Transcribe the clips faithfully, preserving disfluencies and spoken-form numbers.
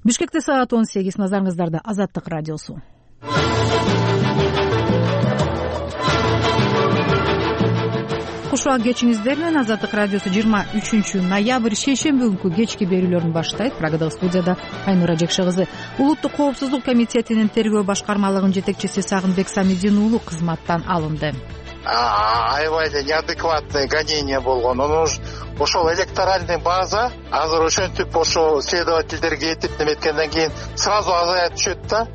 Бишкекте саат он сегиз. Назарыңыздарда Азаттык радиосу. Кушак кечиңиздер менен. Азаттык радиосу жыйырма үчүнчү ноябрь шейшемби күнкү кечки берүүлөрүн баштайт. Прагадагы студияда Айнура Жекше кызы. Улуттук коопсуздук комитетинин тергөө башкармалыгынын жетекчиси Сагынбек Самидин уулу кызматтан алынды. Аябай неадекватный гонение болгон. Ошол электоральный база азыр ошентип ошо следовательдерге этип неметкенден кийин сразу азая түшөт да.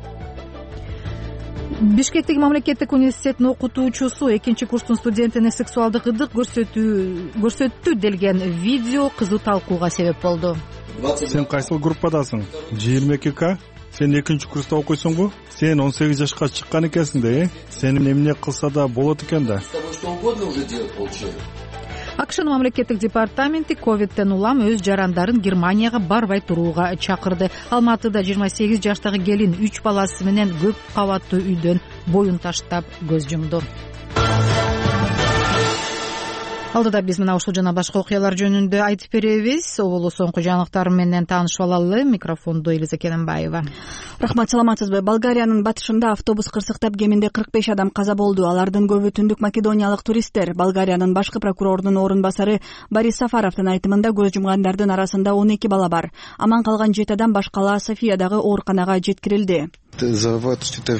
Бишкектеги мамлекеттик университетинин окутуучусу экинчи курстун студентине сексуалдык ырдык көрсөтүү көрсөттү делген видео кызуу талкууга себеп болду. Сен кайсыл группадасың? жыйырма эки К? Сен экинчи курста окуйсуңбу? Сен он сегиз жашка чыккан экенсиң да, э? Сени эмне кылса да болот экен да. АКШнын мамлекеттик департаменти ковидтен улам өз жарандарын Германияга барбай турууга чакырды. Алматыда жыйырма сегиз жаштагы келин үч баласы менен көп кабаттуу үйдөн боюн таштап көз жумду. Алдыда биз мына ушул жана башка окуялар жөнүндө айтып беребиз. Оболу соңку жаңылыктар менен таанышып алалы. Микрофондо Элиза Кененбаева. Рахмат, саламатсызбы? Болгариянын батышында автобус кырсыктап кеминде кырк беш адам каза болду. Алардын көбү түндүк македониялык туристтер. Болгариянын башкы прокурорунун орун басары Борис Сафаровдун айтымында көз жумгандардын арасында он эки бала бар. Аман калган жети адам башкала Софиядагы ооруканага жеткирилди. Кырсыктын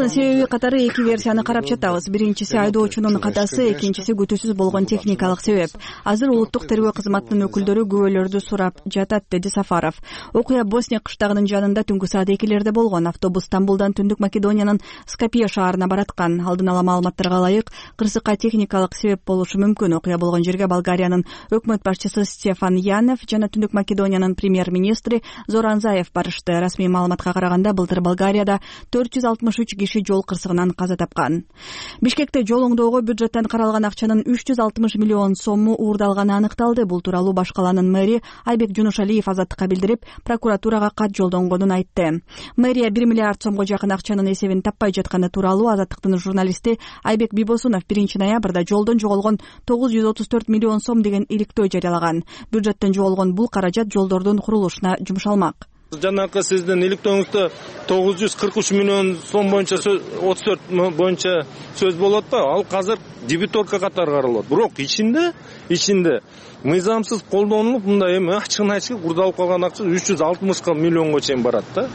себеби катары эки версияны карап жатабыз. Биринчиси айдоочунун катасы, экинчиси күтүүсүз болгон техникалык себеп. Азыр улуттук тергөө кызматынын өкүлдөрү күбөлөрдү сурап жатат, деди Сафаров. Окуя Босния кыштагынын жанында түнкү саат экилерде болгон. Автобус Стамбулдан түндүк Македониянын Скопье шаарына бараткан. Алдын ала маалыматтарга ылайык, кырсыкка техникалык себеп болушу мүмкүн. Окуя болгон жерге Болгариянын өкмөт башчысы Стефан Янев жана түндүк Македониянын премьер-министри Зоран Заев барышты. Расмий маалымат караганда былтыр Болгарияда төрт жүз алтымыш үч киши жол кырсыгынан каза тапкан. Бишкекте жол оңдоого бюджеттен каралган акчанын үч жүз алтымыш миллион сому уурдалганы аныкталды. Бул тууралуу баш каланын мэри Айбек Жунушалиев Азаттыкка билдирип, прокуратурага кат жолдонгонун айтты. Мэрия бир миллиард сомго жакын акчанын эсебин таппай жатканы тууралуу Азаттыктын журналисти Айбек Бибосунов биринчи ноябрда жолдон жоголгон тогуз жүз отуз төрт миллион сом деген иликтөө жарыялаган. Бюджеттен жоголгон бул каражат жолдордун курулушуна жумшалмак. Жанакы сиздин иликтөөңүздө тогуз жүз кырк үч миллион сом боюнча отуз төрт боюнча сөз болот да, ал азыр дебиторка катары каралат. Бирок ичинде ичинде мыйзамсыз колдонулуп мындай эми ачыгын айтышка курдалып калган акча үч жүз алтымыш миллионго чейин барат да,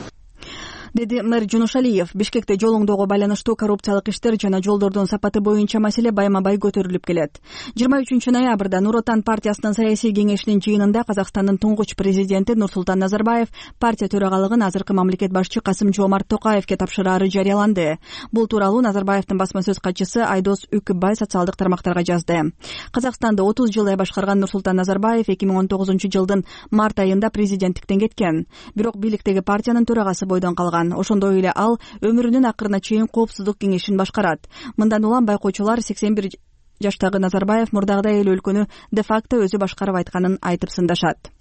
деди мэр Жунушалиев. Бишкекте жол оңдоого байланыштуу коррупциялык иштер жана жолдордун сапаты боюнча маселе байма-бай көтөрүлүп келет. жыйырма үчүнчү ноябрда Нур Отан партиясынын саясий кеңешинин жыйынында Казакстандын туңгуч президенти Нурсултан Назарбаев партия төрагалыгын азыркы мамлекет башчы Касым-Жомарт Токаевке тапшыраары жарыяланды. Бул тууралуу Назарбаевдин басма сөз катчысы Айдос Үкүбай социалдык тармактарга жазды. Казакстанды отуз жылдай башкарган Нурсултан Назарбаев эки миң он тогузунчу жылдын март айында президенттиктен кеткен. Бирок бийликтеги партиянын төрагасы бойдон калган. Ошондой эле ал өмүрүнүн акырына чейин коопсуздук кеңешин башкарат. Мындан улам байкоочулар сексен бир жаштагы Назарбаев мурдагыдай эле өлкөнү де-факто өзү башкарып айтканын айтып сындашат.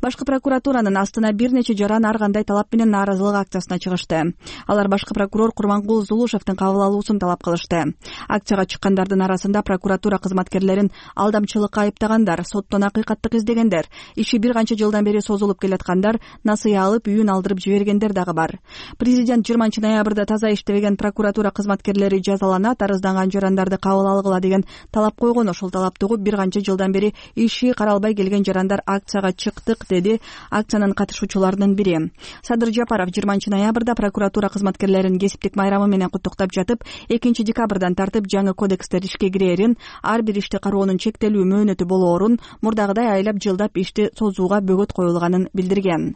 Башкы прокуратуранын астына бир нече жаран ар кандай талап менен нааразылык акциясына чыгышты. Алар башкы прокурор Курмангул Зулушевдин кабыл алуусун талап кылышты. Акцияга чыккандардын арасында прокуратура кызматкерлерин алдамчылыкка айыптагандар, соттон акыйкаттык издегендер, иши бир канча жылдан бери созулуп келаткандар, насыя алып үйүн алдырып жибергендер дагы бар. Президент жыйырманчы ноябрда таза иштебеген прокуратура кызматкерлери жазаланат, арызданган жарандарды кабыл алгыла деген талап койгон. Ошол талапты угуп бир канча жылдан бери иши каралбай келген жарандар акцияга чыктык, деди акциянын катышуучуларынын бири. Садыр Жапаров жыйырманчы ноябрда прокуратура кызматкерлерин кесиптик майрамы менен куттуктап жатып, экинчи декабрдан тартып жаңы кодекстер ишке кирерин, ар бир ишти кароонун чектелүү мөөнөтү болоорун, мурдагыдай айлап жылдап ишти созууга бөгөт коюлганын билдирген.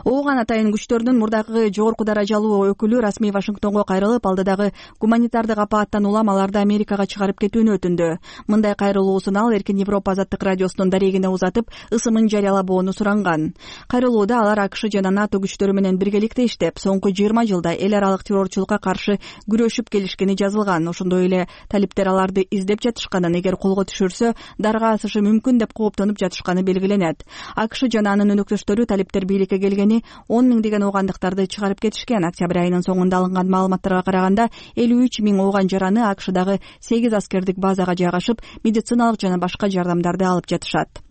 Ооган атайын күчтөрдүн мурдагы жогорку даражалуу өкүлү расмий Вашингтонго кайрылып, алдыдагы гуманитардык апааттан улам аларды Америкага чыгарып кетүүнү өтүндү. Мындай кайрылуусун ал Эркин Европа азаттык радиосунун дарегине узатып, ысымын жарыялабоону суранган. Кайрылууда алар АКШ жана НАТО күчтөрү менен биргеликте иштеп, соңку жыйырма жылда эл аралык террорчулукка каршы күрөшүп келишкени жазылган. Ошондой эле талиптер аларды издеп жатышканын, эгер колго түшүрсө дарга асышы мүмкүн деп кооптонуп жатышканы белгиленет. АКШ жана анын өнөктөштөрү талиптер бийликке келгени он миңдеген оогандыктарды чыгарып кетишкен. Октябрь айынын соңунда алынган маалыматтарга караганда элүү үч миң ооган жараны АКШдагы сегиз аскердик базага жайгашып, медициналык жана башка жардамдарды алып жатышат.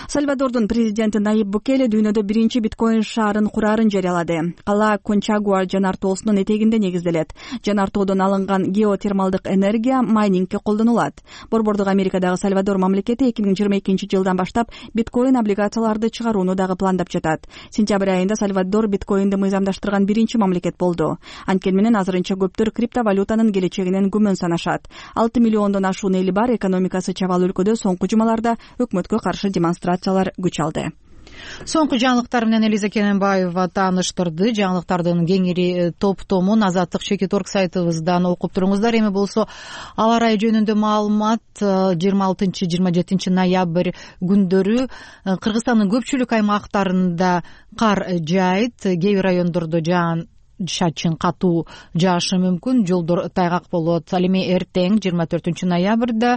Сальвадордун президенти Найиб Букеле дүйнөдө биринчи биткоин шаарын курарын жарыялады. Кала Кончагуа жанар тоосунун этегинде негизделет. Жанар тоодон алынган геотермалдык энергия майнингке колдонулат. Борбордук Америкадагы Сальвадор мамлекети эки миң жыйырма экинчи жылдан баштап биткоин облигацияларды чыгарууну дагы пландап жатат. Сентябрь айында Сальвадор биткоинди мыйзамдаштырган биринчи мамлекет болду. Анткени менен азырынча көптөр криптовалютанын келечегинен күмөн санашат. алты миллиондон ашуун эли бар экономикасы чабал өлкөдө соңку жумаларда өкмөткө каршы демонстрациялар күч алды. Соңку жаңылыктар менен Элиза Кененбаева тааныштырды. Жаңылыктардын кеңири топтомун Азаттык чекит орг сайтыбыздан окуп туруңуздар. Эми болсо аба ырайы жөнүндө маалымат жыйырма алтынчы жыйырма жетинчи ноябрь күндөрү Кыргызстандын көпчүлүк аймактарында кар жаайт, кээ бир райондордо жаан чачын катуу жаашы мүмкүн, жолдор тайгак болот. Ал эми эртең жыйырма төртүнчү ноябрда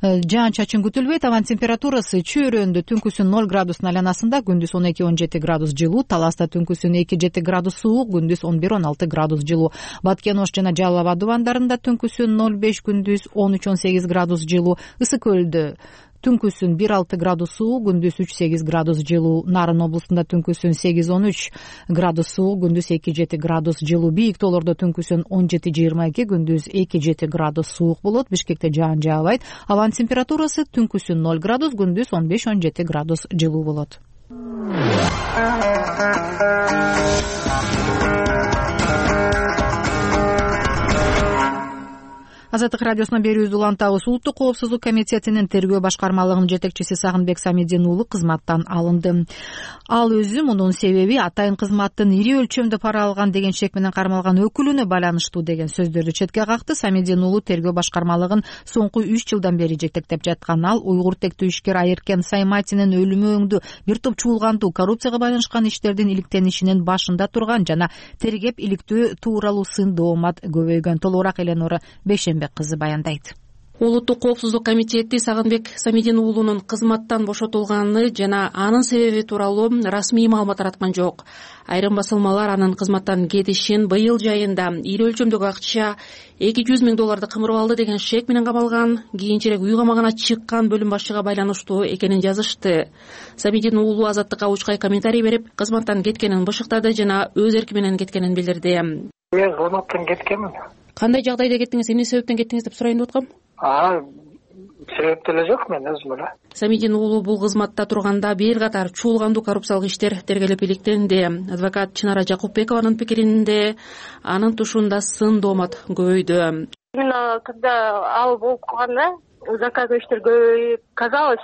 жаан чачын күтүлбөйт. Абанын температурасы чөйрөндө түнкүсүн ноль градустун айланасында, күндүз он эки он жети градус жылуу, Таласта түнкүсүн эки жети градус суук, күндүз он бир он алты градус жылуу. Баткен Ош жана Жалал Абад дубандарында түнкүсүн ноль беш, күндүз он үч он сегиз градус жылуу. Ысык көлдө түнкүсүн бир алты градус суук, күндүз үч сегиз градус жылуу. Нарын облустунда түнкүсүн сегиз он үч градус суук, күндүз эки жети градус жылуу. Бийик тоолордо түнкүсүн он жети жыйырма эки, күндүз эки жети градус суук болот. Бишкекте жаан жаабайт. Абанын температурасы түнкүсүн ноль градус, күндүз он беш он жети градус жылуу болот. Азаттык радиосуна берүүбүздү улантабыз. Улуттук коопсуздук комитетинин тергөө башкармалыгынын жетекчиси Сагынбек Самидин уулу кызматтан алынды. Ал өзү мунун себеби атайын кызматтын ири өлчөмдө пара алган деген шек менен кармалган өкүлүнө байланыштуу деген сөздөрдү четке какты. Самидин уулу тергөө башкармалыгын соңку үч жылдан бери жетектеп жаткан. Ал уйгур тектүү ишкер Айыркен Сайматинин өлүмү өңдүү бир топ чуулгандуу коррупцияга байланышкан иштердин иликтенишинин башында турган жана тергеп иликтөө тууралуу сын доомат көбөйгөн. Толугураак Эленора Бейшенбек кызы баяндайт. Улуттук коопсуздук комитети Сагынбек Самидин уулунун кызматтан бошотулганы жана анын себеби тууралуу расмий маалымат тараткан жок. Айрым басылмалар анын кызматтан кетишин быйыл жайында ири өлчөмдөгү акча эки жүз миң долларды кымырып алды деген шек менен камалган, кийинчерээк үй камагына чыккан бөлүм башчыга байланыштуу экенин жазышты. Самидин уулу Азаттыкка учкай комментарий берип, кызматтан кеткенин бышыктады жана өз эрки менен кеткенин билдирди. Мен кызматтан кеткенмин. Кандай жагдайда кеттиңиз, эмне себептен кеттиңиз деп сурайын деп аткам? А, себеп деле жок, мен өзүм эле. Самидин уулу бул кызматта турганда бир катар чуулгандуу коррупциялык иштер тергелип иликтенди. Адвокат Чынара Жакупбекованын пикиринде анын тушунда сын доомат көбөйдү. Именно когда ал болуп калганда заказной иштер көбөйүп, казалось,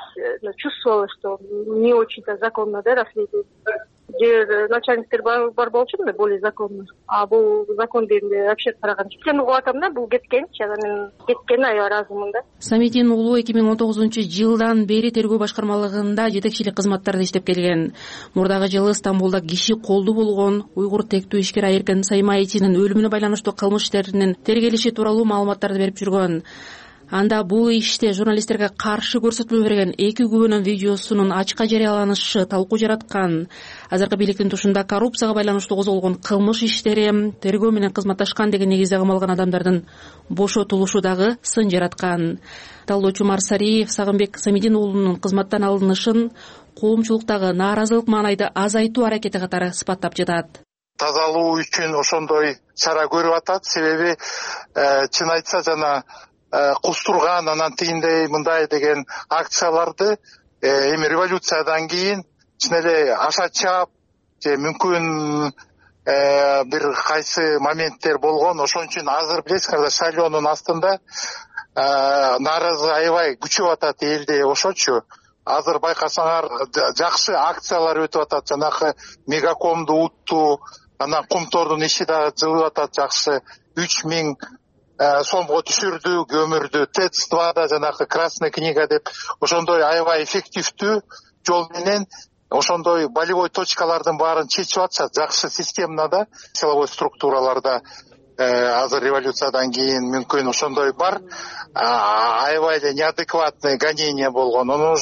чувствовалось, что не очень-то законно, да, расследование. Же начальниктер бар болчу да, более законно. А бул закон дегенде вообще караганда сен угуп атам да, бул кеткенчи, анан мен кеткенине аябай ыраазымын да. Самидин уулу эки миң он тогузунчу жылдан бери тергөө башкармалыгында жетекчилик кызматтарда иштеп келген. Мурдагы жылы Стамбулда киши колду болгон уйгур тектүү ишкер Айыркен Сайматинин өлүмүнө байланыштуу кылмыш иштеринин тергелиши тууралуу маалыматтарды берип жүргөн. Анда бул иште журналисттерге каршы көрсөтмө берген эки күбөнүн видеосунун ачыкка жарыяланышы талкуу жараткан. Азыркы бийликтин тушунда коррупцияга байланыштуу козголгон кылмыш иштери тергөө менен кызматташкан деген негизде камалган адамдардын бошотулушу дагы сын жараткан. Талоочу Марсариев Сагынбек Самидин уулунун кызматтан алынышын коомчулуктагы нааразылык маанайды азайтуу аракети катары сыпаттап жатат. Тазалоо үчүн ошондой чара көрүп атат. Себеби чын айтса жана кустурган, анан тигиндей мындай деген акцияларды эми революциядан кийин чын эле аша чаап же мүмкүн бир кайсы моменттер болгон. Ошон үчүн азыр билесиңер, шайлоонун астында нааразы аябай күчөп атат элде. Ошочу азыр байкасаңар жакшы акциялар өтүп атат. Жанагы мегакомду утту, анан Кумтордун иши дагы жылып атат жакшы. үч миң сомго түшүрдү, көмүрдү. ТЭЦ двада жанагы Красная книга деп ошондой аябай эффективдүү жол менен ошондой болевой точкалардын баарын чечип атышат. Жакшы системада, силовой структураларда азыр революциядан кийин мүмкүн ошондой бар. Аябай эле неадекватный гонение болгон.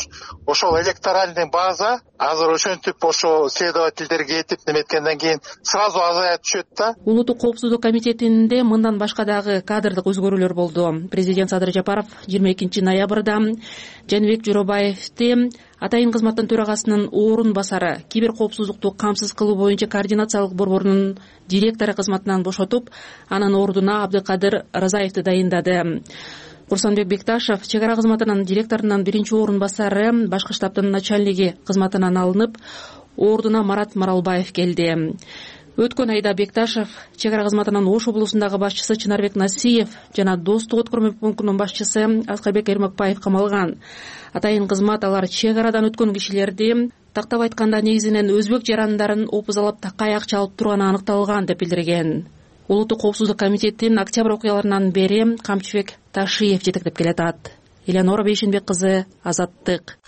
Ошол электоральный база азыр ошентип ошо следовательдерге этип неметкенден кийин сразу азая түшөт да. Улуттук коопсуздук комитетинде мындан башка дагы кадрдык өзгөрүүлөр болду. Президент Садыр Жапаров жыйырма экинчи ноябрда Жаныбек Жоробаевди Атайын кызматтын төрагасынын орун басары кибер коопсуздукту камсыз кылуу боюнча координациялык борборунун директору кызматынан бошотуп, анын ордуна Абдыкадыр Разаевди дайындады. Курсанбек Бекташев чек ара кызматынын директорунун биринчи орун басары, башкы штабтын начальниги кызматынан алынып, ордуна Марат Маралбаев келди. Өткөн айда Бекташев чек ара кызматынын Ош облусундагы башчысы Чынарбек Насиев жана Достук өткөрмө пунктунун башчысы Аскарбек Эрмекбаев камалган. Атайын кызмат алар чек арадан өткөн кишилерди, тактап айтканда негизинен өзбек жарандарын опузалап такай акча алып турганы аныкталган деп билдирген. Улуттук коопсуздук комитетин октябрь окуяларынан бери Камчыбек Ташиев жетектеп келатат. Элеонора Бейшенбек кызы, Азаттык.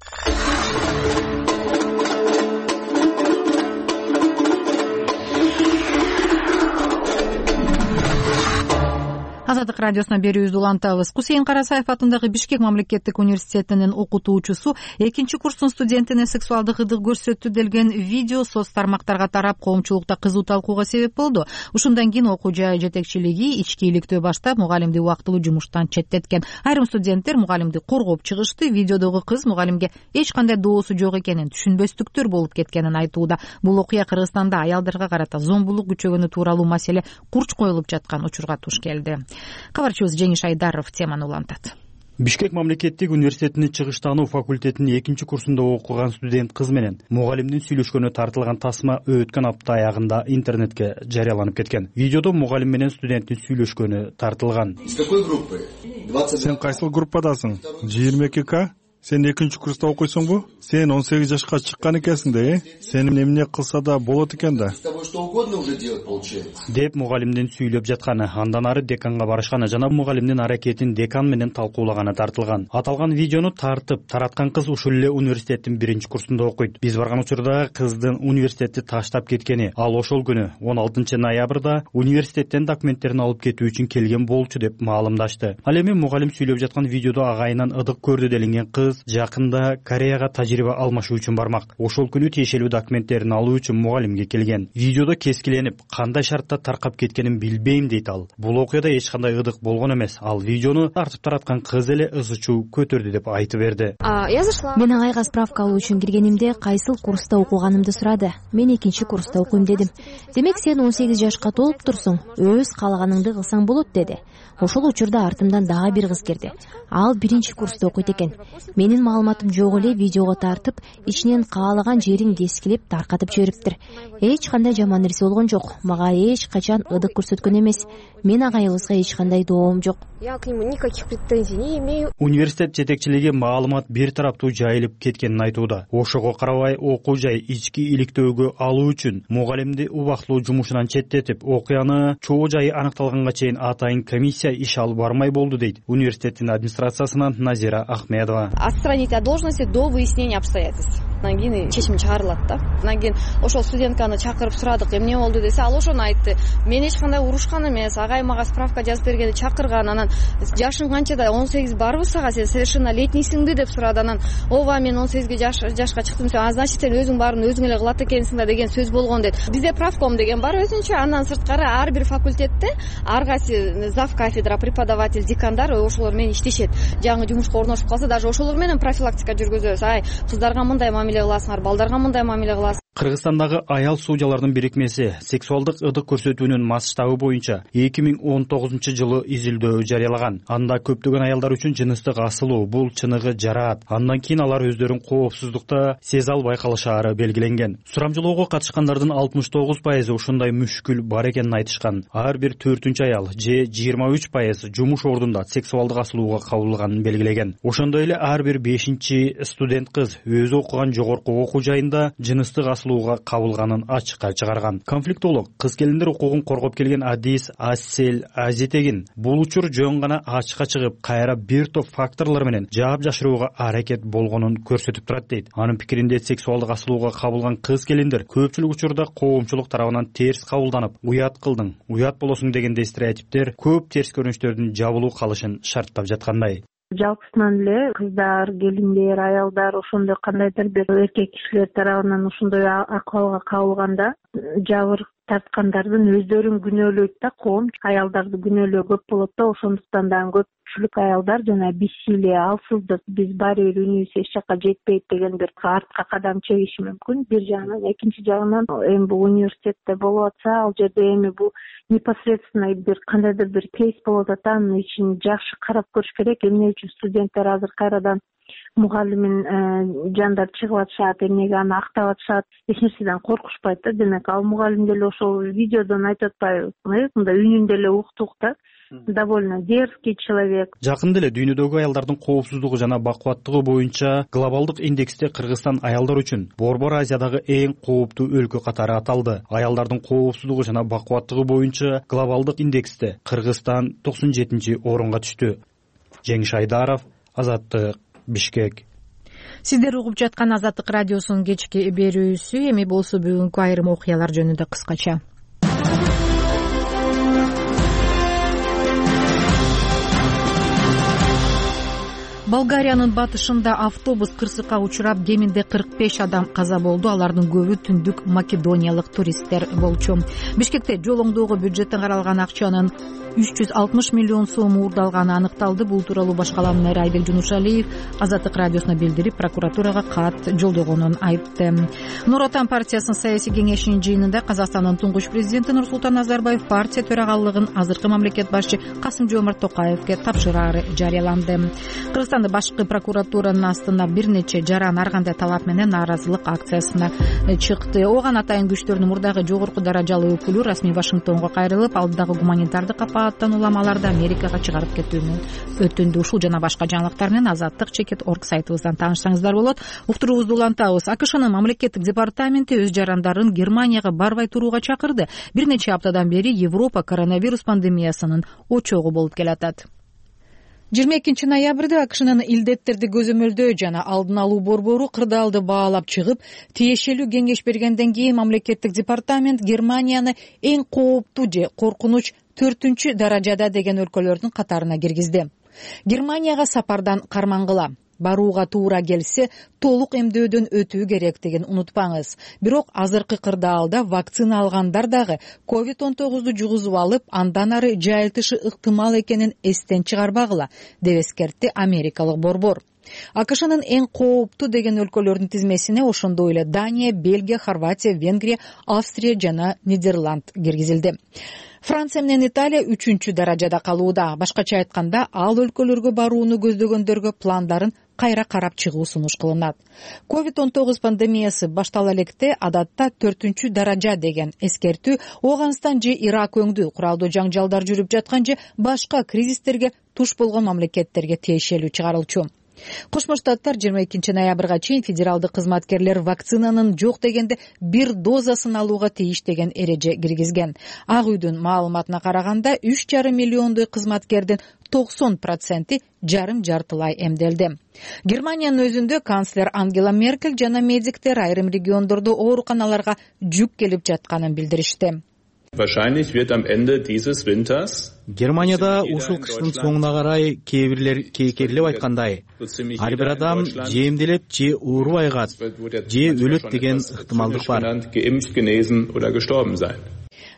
Азаттык радиосуна берүүбүздү улантабыз. Кусейин Карасаев атындагы Бишкек мамлекеттик университетинин окутуучусу экинчи курстун студентине сексуалдык ырдык көрсөттү делген видео соц тармактарга тарап, коомчулукта кызуу талкууга себеп болду. Ушундан кийин окуу жай жетекчилиги ички иликтөө баштап, мугалимди убактылуу жумуштан четтеткен. Айрым студенттер мугалимди коргоп чыгышты. Видеодогу кыз мугалимге эч кандай доосу жок экенин, түшүнбөстүктөр болуп кеткенин айтууда. Бул окуя Кыргызстанда аялдарга карата зомбулук күчөгөнү тууралуу маселе курч коюлуп жаткан учурга туш келди. Кабарчыбыз Жеңиш Айдаров теманы улантат. Бишкек мамлекеттик университетинин чыгыштануу факультетинин экинчи курсунда окуган студент кыз менен мугалимдин сүйлөшкөнү тартылган тасма өткөн апта аягында интернетке жарыяланып кеткен. Видеодо мугалим менен студенттин сүйлөшкөнү тартылган. Из какой группы? Сен кайсыл группадасың? жыйырма эки К? Сен экинчи курста окуйсуңбу? Сен он сегиз жашка чыккан экенсиң да, э? Сени эмне кылса да болот экен да. С тобой что угодно уже делать получается. Деп мугалимдин сүйлөп жатканы, андан ары деканга барышканы жана мугалимдин аракетин декан менен талкуулаганы тартылган. Аталган видеону тартып тараткан кыз ушул эле университеттин биринчи курсунда окуйт. Биз барган учурда кыздын университетти таштап кеткени, ал ошол күнү он алтынчы ноябрда университеттен документтерин алып кетүү үчүн келген болчу деп маалымдашты. Ал эми мугалим сүйлөп жаткан видеодо агайынан ыдык көрдү делинген кыз жакында Кореяга тажрыйба алмашуу үчүн бармак. Ошол күнү тиешелүү документтерин алуу үчүн мугалимге келген. Видеодо кескиленип, кандай шартта таркап кеткенин билбейм дейт ал. Бул окуяда эч кандай ыдык болгон эмес. Ал видеону тартып тараткан кыз эле ызы чуу көтөрдү деп айтып берди. Мен агайга справка алуу үчүн киргенимде кайсыл курста окуганымды сурады. Мен экинчи курста окуйм дедим. Демек сен он сегиз жашка толуп турсуң, өз каалаганыңды кылсаң болот деди. Ошол учурда артымдан дагы бир кыз кирди. Ал биринчи курста окуйт экен. Менин маалыматым жок эле видеого тартып, ичинен каалаган жерин кескилеп таркатып жибериптир. Эч кандай жаман нерсе болгон жок. Мага эч качан ыдык көрсөткөн эмес. Мен агайыбызга эч кандай доом жок. Я к нему никаких претензий не имею. Университет жетекчилиги маалымат бир тараптуу жайылып кеткенин айтууда. Ошого карабай окуу жай ички иликтөөгө алуу үчүн мугалимди убактылуу жумушунан четтетип, окуяны чоо жайы аныкталганга чейин атайын комиссия иш алып бармай болду дейт университеттин администрациясынан Назира Ахмедова. Отстранить от должности до выяснения обстоятельств. Анан кийин чечим чыгарылат да. Анан кийин ошол студентканы чакырып сурадык, эмне болду десе, ал ошону айтты. Мен эч кандай урушкан эмес, агай мага справка жазып бергенде чакырган. Анан жашың канчада? он сегиз барбы сага? Сен совершеннолетнийсиңби деп сурады. Анан ооба, мен он сегизге жашка чыктым. А значит, сен өзүң баарын өзүң эле кылат экенсиң да деген сөз болгон дейт. Бизде правком деген бар өзүнчө. Андан сырткары ар бир факультетте ар кайсы зав кафедра, преподаватель, декандар ошолор менен иштешет. Жаңы жумушка орношуп калса, даже ошолор менен профилактика жүргүзөбүз. Ай, кыздарга мындай мамиле кыласыңар, балдарга мындай мамиле кыласыңар. Кыргызстандагы аял судьялардын бирикмеси сексуалдык ыдык көрсөтүүнүн масштабы боюнча эки миң он тогузунчу жылы изилдөө жарыялаган. Анда көптөгөн аялдар үчүн жыныстык асылуу, бул чыныгы жараат. Андан кийин алар өздөрүн коопсуздукта сезе албай калышаары белгиленген. Сурамжылоого катышкандардын алтымыш тогуз пайызы ушундай мүшкүл бар экенин айтышкан. Ар бир төртүнчү аял же жыйырма үч пайыз жумуш ордунда сексуалдык асылууга кабылганын белгилеген. Ошондой эле ар бир бешинчи студент кыз өзү окуган жогорку окуу жайында жыныстык асылууга кабылганын ачыкка чыгарган. Конфликтолог кыз келиндер укугун коргоп келген Адис Ассел Азитегин бул учур жөн гана ачыкка чыгып, кайра бир топ факторлор менен жаап жашырууга аракет болгонун көрсөтүп турат дейт. Анын пикиринде сексуалдык асылууга кабылган кыз келиндер көпчүлүк учурда коомчулук тарабынан терс кабылданып, уят кылдың, уят болосуң дегендей стереотиптер көп терс көрүнүштөрдүн жабылуу калышын шарттап жаткандай. Жалпысынан эле кыздар, келиндер, аялдар ошондой кандайдыр бир эркек кишилер тарабынан ошондой акыбалга кабылганда жабыр тарткандардын өздөрүн күнөөлөйт да, коом аялдарды күнөөлөө көп болот да, ошондуктан дагы көпчүлүк аялдар жана бессилие, алсыздык, биз баары бир үнүбүз эч жакка жетпейт деген бир артка кадам чегиши мүмкүн бир жагынан. Экинчи жагынан эми бул университетте болуп атса, ал жерде эми бул непосредственно бир кандайдыр бир кейс болуп атат, анын ичин жакшы карап көрүш керек. Эмне үчүн студенттер азыр кайрадан мугалимин жандар чыгып атышат, эмнеге аны актап атышат, эч нерседен коркушпайт да. Демек ал мугалим деле ошол видеодон айтып атпайбы, мындай үнүн деле уктук да. Довольно дерзкий человек. Жакында эле дүйнөдөгү аялдардын коопсуздугу жана бакубаттыгы боюнча глобалдык индексте Кыргызстан аялдар үчүн Борбор Азиядагы эң кооптуу өлкө катары аталды. Аялдардын коопсуздугу жана бакубаттыгы боюнча глобалдык индексте Кыргызстан токсон жетинчи орунга түштү. Жеңиш Айдаров, Азаттык, Бишкек. Сиздер угуп жаткан Азаттык радиосунун кечки берүүсү. Эми болсо бүгүнкү айрым окуялар жөнүндө кыскача. Болгариянын батышында автобус кырсыкка учурап, кеминде кырк беш адам каза болду. Алардын көбү түндүк македониялык туристтер болчу. Бишкекте жолоңдоого бюджеттен каралган акчанын үч жүз алтымыш миллион сом уурдалганы аныкталды. Бул тууралуу баш калаанын мэри Айбек Жунушалиев Азаттык радиосуна билдирип, прокуратурага кат жолдогонун айтты. Нур Отан партиясынын саясий кеңешинин жыйынында Казакстандын туңгуч президенти Нурсултан Назарбаев партия төрагалыгын азыркы мамлекет башчы Касым-Жомарт Токаевге тапшырары жарыяланды. Кыргызстанда башкы прокуратуранын астына бир нече жаран ар кандай талап менен нааразылык акциясына чыкты. Оган атайын күчтөрдүн мурдагы жогорку даражалуу өкүлү расмий Вашингтонго кайрылып, алдыдагы гуманитардык апааттан уламаларды Америкага чыгарып кетүүнү өтүндү. Ушул жана башка жаңылыктар менен Азаттык чекит орг сайтыбыздан таанышсаңыздар болот. Уктуруубузду улантабыз. АКШнын мамлекеттик департаменти өз жарандарын Германияга барбай турууга чакырды. Бир нече аптадан бери Европа коронавирус пандемиясынын очогу болуп келатат. жыйырма экинчи ноябрда АКШнын илдеттерди көзөмөлдөө жана алдын алуу борбору кырдаалды баалап чыгып, тиешелүү кеңеш бергенден кийин мамлекеттик департамент Германияны эң кооптуу же коркунуч төртүнчү даражада деген өлкөлөрдүн катарына киргизди. Германияга сапардан кармангыла. Барууга туура келсе, толук эмдөөдөн өтүү керектигин унутпаңыз. Бирок азыркы кырдаалда вакцина алгандар дагы ковид он тогузду жугузуп алып, андан ары жайылтышы ыктымал экенин эстен чыгарбагыла, деп эскертти америкалык борбор. АКШнын эң кооптуу деген өлкөлөрдүн тизмесине ошондой эле Дания, Бельгия, Хорватия, Венгрия, Австрия жана Нидерланд киргизилди. Франция менен Италия үчүнчү даражада калууда. Башкача айтканда, ал өлкөлөргө барууну көздөгөндөргө пландарын кайра карап чыгуу сунуш кылынат. ковид он тогуз пандемиясы баштала электе адатта төртүнчү даража деген эскертүү Ооганстан же Ирак өңдүү куралдуу жаңжалдар жүрүп жаткан же башка кризистерге туш болгон мамлекеттерге тиешелүү чыгарылчу. Кошмо Штаттар жыйырма экинчи ноябрга чейин федералдык кызматкерлер вакцинанын жок дегенде бир дозасын алууга тийиш деген эреже киргизген. Ак үйдүн маалыматына караганда үч жарым миллиондой кызматкердин токсон проценти жарым жартылай эмделди. Германиянын өзүндө канцлер Ангела Меркель жана медиктер айрым региондордо ооруканаларга жүк келип жатканын билдиришти. Wahrscheinlich wird am Ende dieses Winters Германияда ушул кыштын соңуна карай кээ бирлер кейкерлеп айткандай, ар бир адам же эмделет, же оорубай калат, же өлөт деген ыктымалдык бар.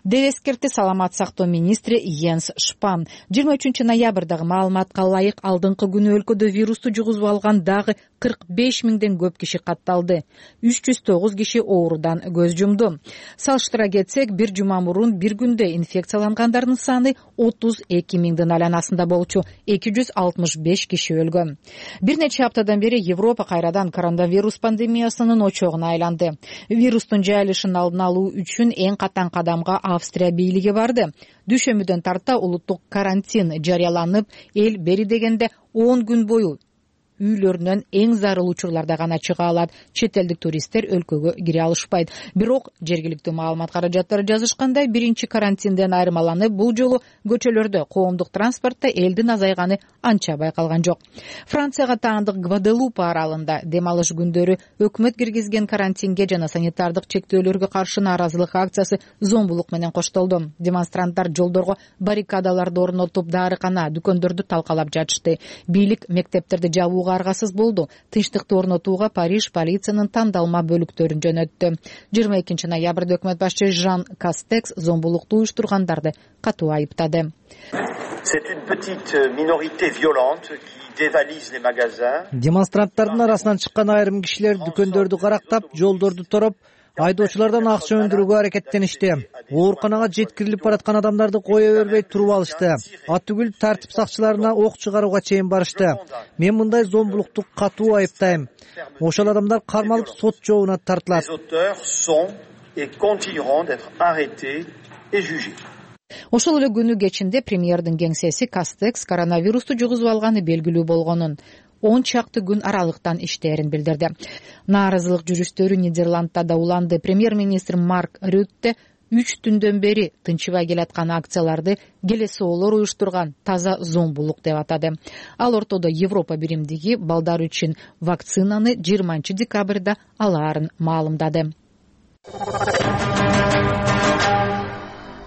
деп эскертти саламат сактоо министри Йенс Шпан. жыйырма үчүнчү ноябрдагы маалыматка ылайык алдыңкы күнү өлкөдө вирусту жугузуп алган дагы кырк беш миңден көп киши катталды. үч жүз тогуз киши оорудан көз жумду. Салыштыра кетсек, бир жума мурун бир күндө инфекциялангандардын саны отуз эки миңдин айланасында болчу, эки жүз алтымыш беш киши өлгөн. Бир нече аптадан бери Европа кайрадан коронавирус пандемиясынын очогуна айланды. Вирустун жайылышын алдын алуу үчүн эң катаң кадамга Австрия бийлиги барды. Дүйшөмбүдөн тарта улуттук карантин жарыяланып, эл бери дегенде он күн бою үйлөрүнөн эң зарыл учурларда гана чыга алат. Чет элдик туристтер өлкөгө кире алышпайт. Бирок жергиликтүү маалымат каражаттары жазышкандай, биринчи карантинден айырмаланып, бул жолу көчөлөрдө, коомдук транспортто элдин азайганы анча байкалган жок. Францияга таандык Гваделупа аралында дем алыш күндөрү өкмөт киргизген карантинге жана санитардык чектөөлөргө каршы нааразылык акциясы зомбулук менен коштолду. Демонстранттар жолдорго баррикадаларды орнотуп, дарыкана, дүкөндөрдү талкалап жатышты. Бийлик мектептерди жабууга кылууга аргасыз болду. Тынчтыкты орнотууга Париж полициянын тандалма бөлүктөрүн жөнөттү. жыйырма экинчи ноябрда өкмөт башчы Жан Кастекс зомбулукту уюштургандарды катуу айыптады. Демонстранттардын арасынан чыккан айрым кишилер дүкөндөрдү карактап, жолдорду тороп, айдоочулардан акча өндүрүүгө аракеттеништи. Ооруканага жеткирилип бараткан адамдарды кое бербей туруп алышты. Атүгүл тартип сакчыларына ок чыгарууга чейин барышты. Мен мындай зомбулукту катуу айыптайм. Ошол адамдар кармалып сот жообуна тартылат. Ошол эле күнү кечинде премьердин кеңсеси Кастекс коронавирусту жугузуп алганы белгилүү болгонун, он чакты күн аралыктан иштээрин билдирди. Нааразылык жүрүштөрү Нидерландда да уланды. Премьер-министр Марк Рютте үч түндөн бери тынчыбай келаткан акцияларды келесоолор уюштурган таза зомбулук деп атады. Ал ортодо Европа биримдиги балдар үчүн вакцинаны жыйырманчы декабрда алаарын маалымдады.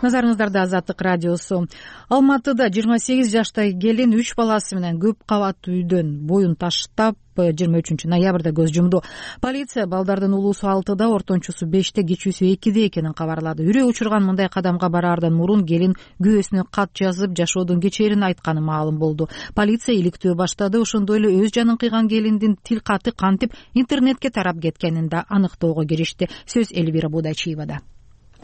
Назарыңыздарда Азаттык радиосу. Алматыда жыйырма сегиз жаштагы келин үч баласы менен көп кабаттуу үйдөн боюн таштап жыйырма үчүнчү ноябрда көз жумду. Полиция балдардын улуусу алтыда, ортончусу беште, кичүүсү экиде экенин кабарлады. Үрөө учурган мындай кадамга бараардан мурун келин күйөөсүнө кат жазып, жашоодун кечээрин айтканы маалым болду. Полиция иликтөө баштады. Ошондой эле өз жанын кыйган келиндин тил каты кантип интернетке тарап кеткенин да аныктоого киришти. Сөз Элвира Будачиевада.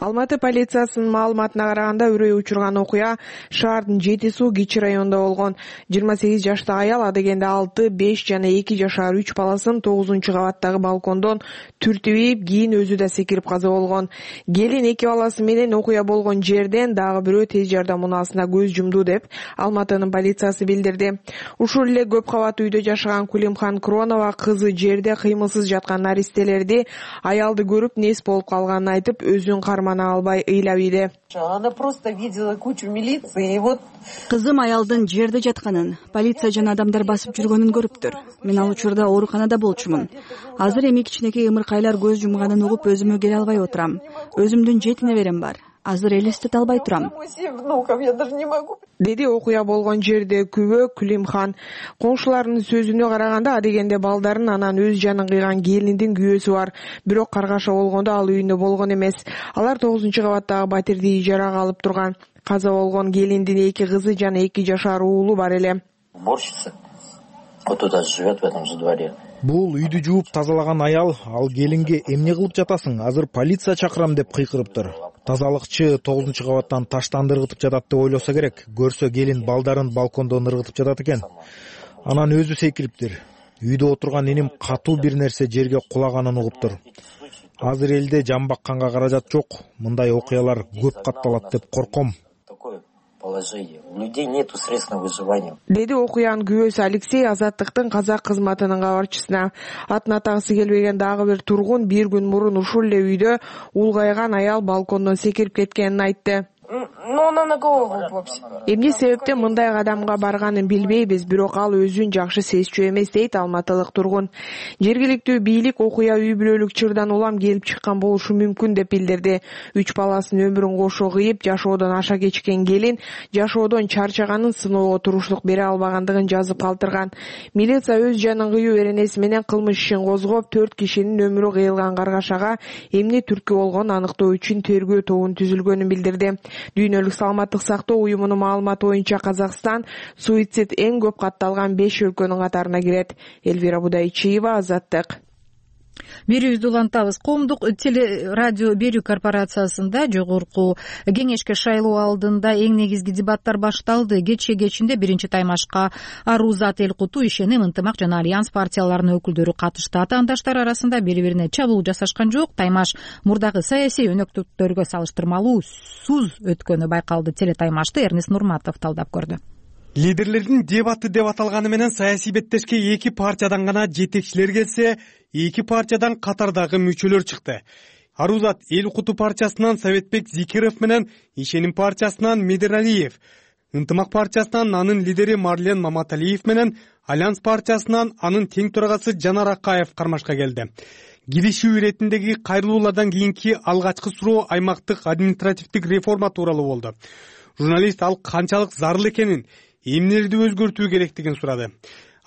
Алматы полициясынын маалыматына караганда, үрөө учурган окуя шаардын Жети суу Кичи районунда болгон. жыйырма сегиз жаштагы аял адегенде алты, беш жана эки жашар үч баласын тогузунчу кабаттагы балкондон түртүп ийип, кийин өзү да секирип каза болгон. Келин эки баласы менен окуя болгон жерден дагы бирөө тез жардам унаасына көз жумду деп Алматынын полициясы билдирди. Ушул эле көп кабаттуу үйдө жашаган Кулимхан Кронова кызы жерде кыймылсыз жаткан наристелерди, аялды көрүп нес болуп калганын айтып, өзүн кармана албай ыйлап ийди. Она просто видела кучу милиции и вот кызым аялдын жерде жатканын, полиция жана адамдар басып жүргөнүн көрүптүр. Мен ал учурда ооруканада болчумун. Азыр эми кичинекей ымыркайлар көз жумганын угуп өзүмө келе албай отурам. Өзүмдүн жети неберем бар. Азыр элестете албай турам, деди окуя болгон жерде күбө Кулимхан. Коңшуларынын сөзүнө караганда, адегенде балдарын анан өз жанын кыйган келиндин күйөөсү бар. Бирок каргаша болгондо ал үйүндө болгон эмес. Алар тогузунчу кабаттагы батирди ижарага алып турган. Каза болгон келиндин эки кызы жана эки жашар уулу бар эле. Уборщица вот туда живет в этом же дворе. Бул үйдү жууп тазалаган аял ал келинге эмне кылып жатасың? Азыр полиция чакырам деп кыйкырыптыр. Тазалыкчы тогузунчу кабаттан таштанды ыргытып жатат деп ойлосо керек. Көрсө келин балдарын балкондон ыргытып жатат экен. Анан өзү секириптир. Үйдө отурган эним катуу бир нерсе жерге кулаганын угуптур. Азыр элде жан бакканга каражат жок. Мындай окуялар көп катталат деп корком. У людей нету средств на выживание. Деди окуянын күбөсү Алексей Азаттыктын казак кызматынын кабарчысына. Атын атагысы келбеген дагы бир тургун бир күн мурун ушул эле үйдө улгайган аял балкондон секирип кеткенин айтты. Эмне себептен мындай кадамга барганын билбейбиз, бирок ал өзүн жакшы сезчү эмес, дейт алматылык тургун. Жергиликтүү бийлик окуя үй бүлөлүк чырдан улам келип чыккан болушу мүмкүн деп билдирди. Үч баласынын өмүрүн кошо кыйып, жашоодон аша кечкен келин жашоодон чарчаганын, сыноого туруштук бере албагандыгын жазып калтырган. Милиция өз жанын кыюу эренеси менен кылмыш ишин козгоп, төрт кишинин өмүрү кыйылган каргашага эмне түрткү болгонун аныктоо үчүн тергөө тобун түзүлгөнүн билдирди. Дүйнөлүк саламаттык сактоо уюмунун маалыматы боюнча Казакстан суицид эң көп катталган беш өлкөнүн катарына кирет. Элвира Будайчиева, Азаттык. Берүүбүздү улантабыз. Коомдук телерадио берүү корпорациясында жогорку кеңешке шайлоо алдында эң негизги дебаттар башталды. Кече кечинде биринчи таймашка Арузат Элкуту, Ишеним, Ынтымак жана Альянс партияларынын өкүлдөрү катышты. Атаандаштар арасында бири-бирине чабуул жасашкан жок. Таймаш мурдагы саясий өнөктүктөргө салыштырмалуу суз өткөнү байкалды. Телетаймашты Эрнест Нурматов талдап көрдү. Лидерлердин дебаты деп аталганы менен саясий беттешке эки партиядан гана жетекчилер келсе, эки партиядан катардагы мүчөлөр чыкты. Арузат Элкуту партиясынан Советбек Зикиров менен Ишеним партиясынан Медералиев, Ынтымак партиясынан анын лидери Марлен Маматалиев менен Альянс партиясынан анын тең төрагасы Жанар Акаев кармашка келди. Киришүү иретиндеги кайрылуулардан кийинки алгачкы суроо аймактык административдик реформа тууралуу болду. Журналист ал канчалык зарыл экенин, эмнелерди өзгөртүү керектигин сурады.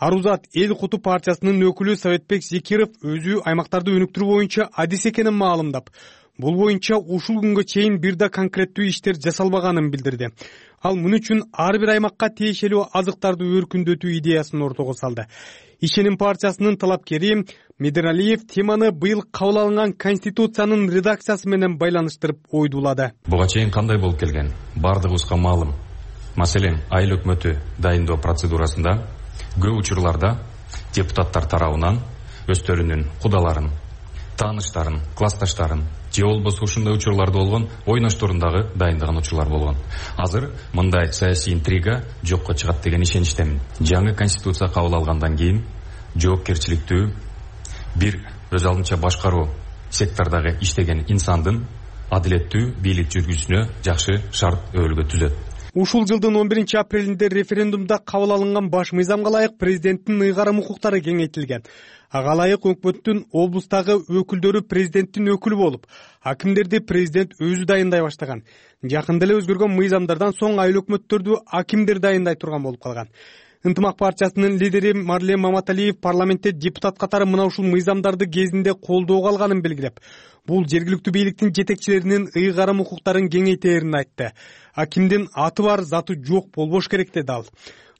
Арузат эл куту партиясынын өкүлү Советбек Зекиров өзү аймактарды өнүктүрүү боюнча адис экенин маалымдап, бул боюнча ушул күнгө чейин бир да конкреттүү иштер жасалбаганын билдирди. Ал муну үчүн ар бир аймакка тиешелүү азыктарды өркүндөтүү идеясын ортого салды. Ишеним партиясынын талапкери Медералиев теманы быйыл кабыл алынган Конституциянын редакциясы менен байланыштырып ойдулады. Буга чейин кандай болуп келген? Бардыгыбызга маалым. Маселен, айыл өкмөтү дайындоо процедурасында көп учурларда депутаттар тарабынан өздөрүнүн кудаларын, тааныштарын, классташтарын же болбосо ушундай учурларда болгон ойношторундагы дайындаган учурлар болгон. Азыр мындай саясий интрига жокко чыгат деген ишеничтемин. Жаңы конституция кабыл алгандан кийин жоопкерчиликтүү бир өз алдынча башкаруу сектордагы иштеген инсандын адилеттүү бийлик жүргүзүүсүнө жакшы шарт өбөлгө түзөт. Ушул жылдын он биринчи апрелинде референдумда кабыл алынган баш мыйзамга ылайык президенттин ыйгарым укуктары кеңейтилген. Ага ылайык өкмөттүн облустагы өкүлдөрү президенттин өкүлү болуп, акимдерди президент өзү дайындай баштаган. Жакында эле өзгөргөн мыйзамдардан соң айыл өкмөттөрдү акимдер дайындай турган болуп калган. Ынтымак партиясынын лидери Марлен Маматалиев парламентте депутат катары мына ушул мыйзамдарды кезинде колдоого алганын белгилеп, бул жергиликтүү бийликтин жетекчилеринин ыйгарым укуктарын кеңейтерин айтты. Акимдин аты бар, заты жок болбош керек деди ал.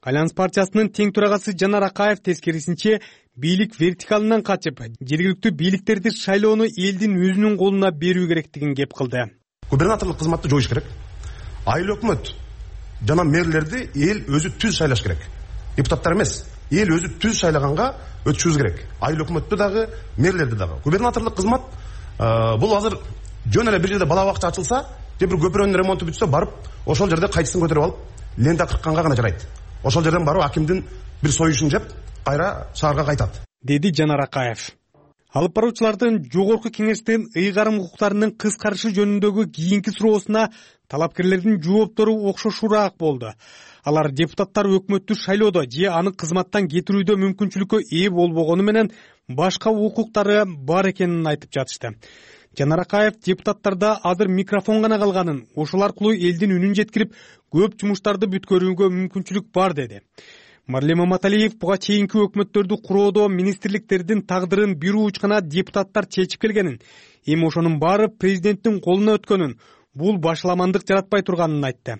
Альянс партиясынын тең төрагасы Жанар Акаев тескерисинче бийлик вертикалынан качып, жергиликтүү бийликтерди шайлоону элдин өзүнүн колуна берүү керектигин кеп кылды. Губернаторлук кызматты жоюш керек. Айыл өкмөт жана мэрлерди эл өзү түз шайлаш керек. Депутаттар эмес, эл өзү түз шайлаганга өтүшүбүз керек. Айыл өкмөттү дагы, мэрлерди дагы. Губернаторлук кызмат бул азыр жөн эле бир жерде бала бакча ачылса, же бир көпүрөнүн ремонту бүтсө, барып ошол жерде кайчысын көтөрүп алып, лента кыркканга гана жарайт. Ошол жерден барып акимдин бир союшун жеп, кайра шаарга кайтат, деди Жанар Акаев. Алып баруучулардын жогорку кеңештин ыйгарым укуктарынын кыскарышы жөнүндөгү кийинки суроосуна талапкерлердин жооптору окшошуураак болду. Алар депутаттар өкмөттү шайлоодо же аны кызматтан кетирүүдө мүмкүнчүлүккө ээ болбогону менен башка укуктары бар экенин айтып жатышты. Жанар Акаев депутаттарда азыр микрофон гана калганын, ошол аркылуу элдин үнүн жеткирип, көп жумуштарды бүткөрүүгө мүмкүнчүлүк бар деди. Марлен Маматалиев буга чейинки өкмөттөрдү куроодо министрликтердин тагдырын бир уучкана депутаттар чечип келгенин, эми ошонун баары президенттин колуна өткөнүн, бул башаламандык жаратпай турганын айтты.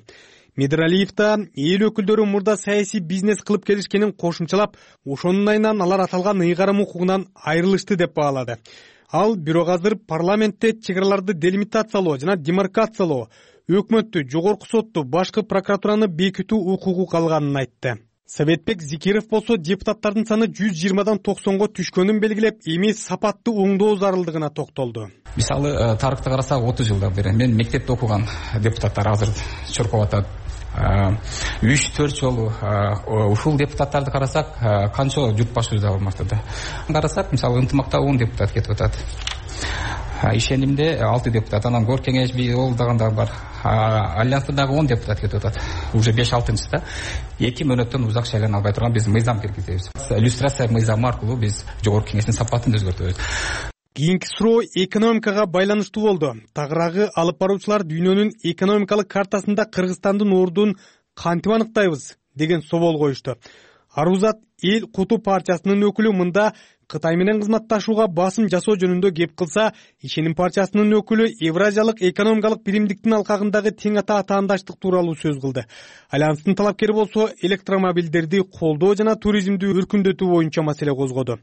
Медералиев да эл өкүлдөрү мурда саясий бизнес кылып келишкенин кошумчалап, ошонун айынан алар аталган ыйгарым укугунан айрылышты деп баалады. Ал бирок азыр парламентте чек-араларды делимитациялоо жана демаркациялоо, өкмөттү, жогорку сотту, башкы прокуратураны бекитүү укугу калганын айтты. Советбек Зекиров болсо депутаттардын саны жүз жыйырмадан токсонго түшкөнүн белгилеп, эми сапаттуу оңдоо зарылдыгына токтолду. Мисалы, тарыхты карасак отуз жылдан бери мен мектепте окуган депутаттар азыр чуркап атат. үч төрт жолу ушул депутаттарды карасак, канча журт башыбызда болмокту. Карасак, мисалы, ынтымакта он депутат кетип атат. Ишенимде алты депутат, анан кор кеңеш ол дагы бар. Альянста дагы он депутат кетип атат. Уже беш алтынчыда эки мөөнөттөн узак шайлана албай турган биз мыйзам киргизебиз. Иллюстрация мыйзамы аркылуу биз жогорку кеңештин сапатын өзгөртөбүз. Кийинки суроо экономикага байланыштуу болду. Тагыраагы алып баруучулар дүйнөнүн экономикалык картасында Кыргызстандын ордун кантип аныктайбыз деген собол коюшту. Арузат эл куту партиясынын өкүлү мында Кытай менен кызматташууга басым жасоо жөнүндө кеп кылса, Ишеним партиясынын өкүлү Евразиялык экономикалык биримдиктин алкагындагы тең ата атаандаштык тууралуу сөз кылды. Альянстын талапкери болсо электромобилдерди колдоо жана туризмди өркүндөтүү боюнча маселе козгоду.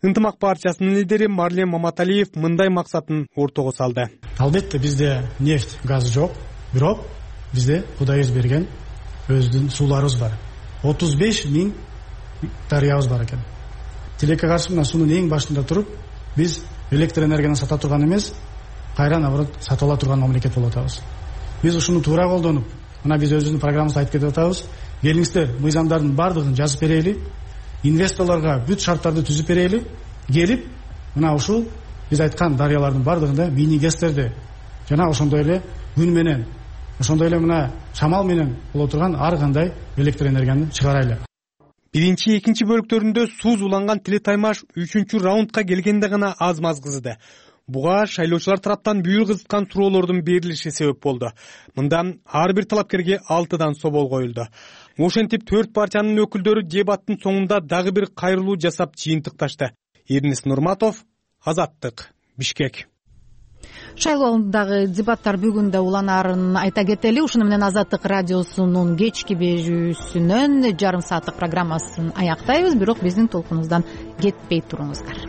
Ынтымак партиясынын лидери Марлен Маматалиев мындай максатын ортого салды. Албетте бизде нефть, газ жок, бирок бизде Кудайыбыз берген өзүнүн сууларыбыз бар. отуз беш миң дарыябыз бар экен. Тилекке каршы мына суунун эң башында туруп, биз электр энергияны сата турган эмес, кайра наоборот сатып ала турган мамлекет болуп атабыз. Биз ушуну туура колдонуп, мына биз өзүбүздүн программабызда айтып кетип атабыз. Келиңиздер, мыйзамдардын бардыгын жазып берели, инвесторлорго бүт шарттарды түзүп берели, келип, мына ушул биз айткан дарыялардын бардыгында мини гэстерди жана ошондой эле күн менен, ошондой эле мына шамал менен боло турган ар кандай электр энергияны чыгарайлы. Биринчи, экинчи бөлүктөрүндө сууз уланган Тиле Таймаш үчүнчү раундка келгенде гана аз-маз кызыды. буга шайлоочулар тараптан бүйүр кызыткан суроолордун берилиши себеп болду. Мында ар бир талапкерге алтыдан собол коюлду. Ошентип төрт партиянын өкүлдөрү дебаттын соңунда дагы бир кайрылуу жасап жыйынтыкташты. Эрнис Нурматов, Азаттык, Бишкек. Шайлоо алдындагы дебаттар бүгүн да уланаарын айта кетели. Ушуну менен Азаттык радиосунун кечки берүүсүнөн жарым сааттык программасын аяктайбыз, бирок биздин толкунубуздан кетпей туруңуздар.